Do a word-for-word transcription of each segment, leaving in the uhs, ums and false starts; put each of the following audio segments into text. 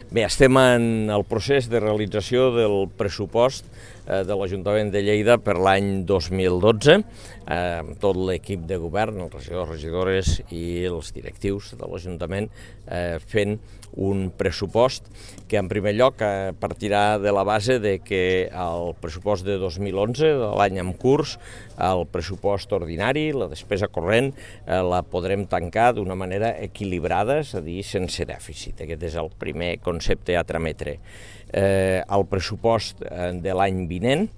Bé, estem en el procés de realització del pressupost eh, de l'Ajuntament de Lleida per l'any dos mil dotze, eh, amb tot l'equip de govern, els regidors, regidores i els directius de l'Ajuntament eh, fent un pressupost que en primer lloc eh, partirà de la base de que el pressupost de dos mil onze, de l'any en curs, el pressupost ordinari, la despesa corrent, eh, la podrem tancar d'una manera equilibrada, és a dir, sense dèficit. Aquest és el primer concepte a trametre. Eh, el pressupost eh, de l'any vinent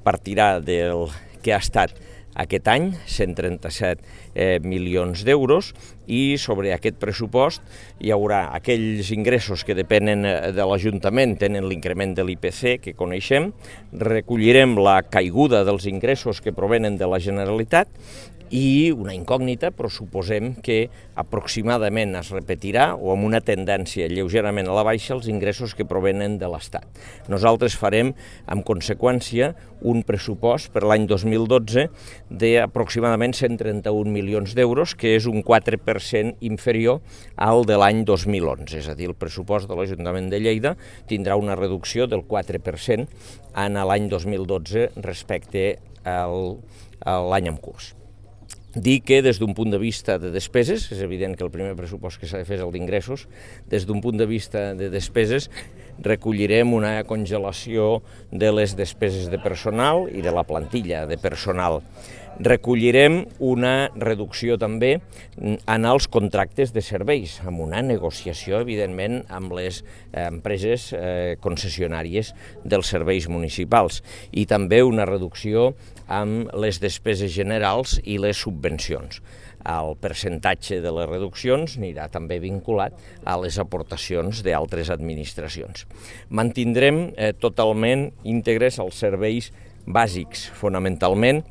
partirà del que ha estat aquest any, cent trenta-set eh, milions d'euros, i sobre aquest pressupost hi haurà aquells ingressos que depenen de l'Ajuntament, tenen l'increment de l'I P C que coneixem, recollirem la caiguda dels ingressos que provenen de la Generalitat i una incògnita, però suposem que aproximadament es repetirà o amb una tendència lleugerament a la baixa els ingressos que provenen de l'Estat. Nosaltres farem, en conseqüència, un pressupost per l'any dos mil dotze d'aproximadament cent trenta-un milions d'euros, que és un quatre per cent inferior al de l'any dos mil onze. És a dir, el pressupost de l'Ajuntament de Lleida tindrà una reducció del quatre per cent en l'any dos mil dotze respecte al, a l'any en curs. Dir que des d'un punt de vista de despeses, és evident que el primer pressupost que s'ha de fer és el d'ingressos, des d'un punt de vista de despeses recollirem una congelació de les despeses de personal i de la plantilla de personal. Recollirem una reducció també en els contractes de serveis, amb una negociació, evidentment, amb les empreses eh, concessionàries dels serveis municipals, i també una reducció amb les despeses generals i les subvencions. El percentatge de les reduccions anirà també vinculat a les aportacions d'altres administracions. Mantindrem eh, totalment íntegres els serveis bàsics, fonamentalment,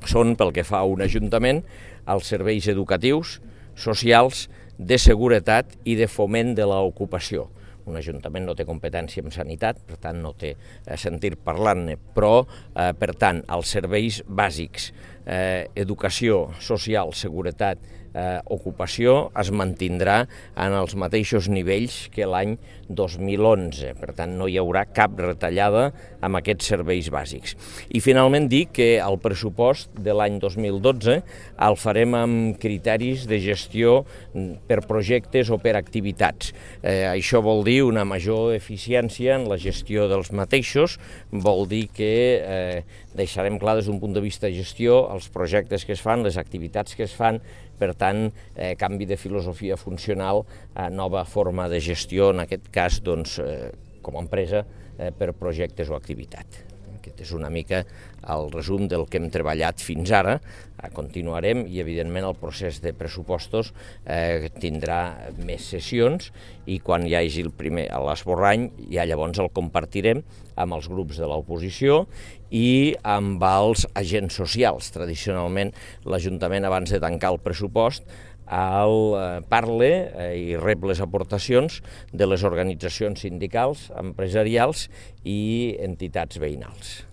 són, pel que fa a un ajuntament, els serveis educatius, socials, de seguretat i de foment de l'ocupació. Un ajuntament no té competència en sanitat, per tant no té sentit parlant-ne, però, eh, per tant, els serveis bàsics, eh, educació, social, seguretat, eh, ocupació, es mantindrà en els mateixos nivells que l'any dos mil onze. Per tant, no hi haurà cap retallada amb aquests serveis bàsics. I finalment dir que el pressupost de l'any dos mil dotze el farem amb criteris de gestió per projectes o per activitats. Eh, això vol dir una major eficiència en la gestió dels mateixos, vol dir que eh, deixarem clar des d'un punt de vista de gestió els projectes que es fan, les activitats que es fan, per tant, eh, canvi de filosofia funcional, eh, nova forma de gestió, en aquest cas, doncs, eh, com a empresa, eh, per projectes o activitat. Aquest és una mica el resum del que hem treballat fins ara. Continuarem i, evidentment, el procés de pressupostos eh, tindrà més sessions i quan hi hagi el primer a l'esborrany, ja llavors el compartirem amb els grups de l'oposició i amb els agents socials. Tradicionalment, l'Ajuntament, abans de tancar el pressupost, el parle i rep les aportacions de les organitzacions sindicals, empresarials i entitats veïnals.